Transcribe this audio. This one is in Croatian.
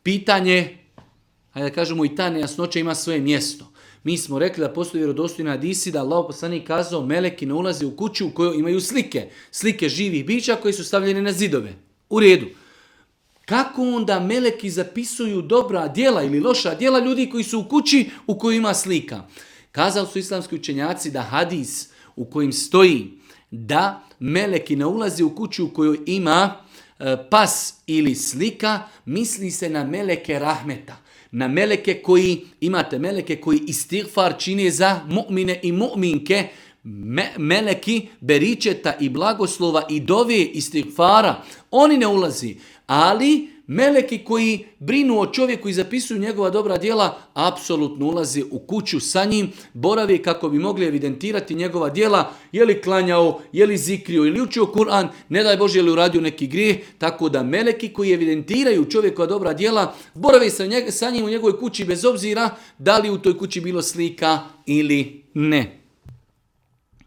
pitanje, hajde da kažemo i ta nejasnoća ima svoje mjesto. Mi smo rekli da postoji vjerodostojni hadisi da Allah poslanik kazao meleki ne ulaze u kuću u kojoj imaju slike. Slike živih bića koje su stavljene na zidove. U redu. Kako onda meleki zapisuju dobra djela ili loša djela ljudi koji su u kući u kojoj ima slika? Kazali su islamski učenjaci da hadis u kojim stoji da meleki ne ulaze u kuću u kojoj ima pas ili slika, misli se na meleke rahmeta. Na meleke koji, imate meleke koji istighfar čine za mu'mine i mu'minke, meleki beričeta i blagoslova i dove istighfara, oni ne ulazi. Ali meleki koji brinu o čovjeku i zapisuju njegova dobra djela, apsolutno ulaze u kuću sa njim, borave kako bi mogli evidentirati njegova djela, je li klanjao, je li zikrio ili učio Kur'an, ne daj Bože je li uradio neki grijeh, tako da meleki koji evidentiraju čovjekova dobra djela, borave sa njim u njegovoj kući bez obzira da li u toj kući bilo slika ili ne.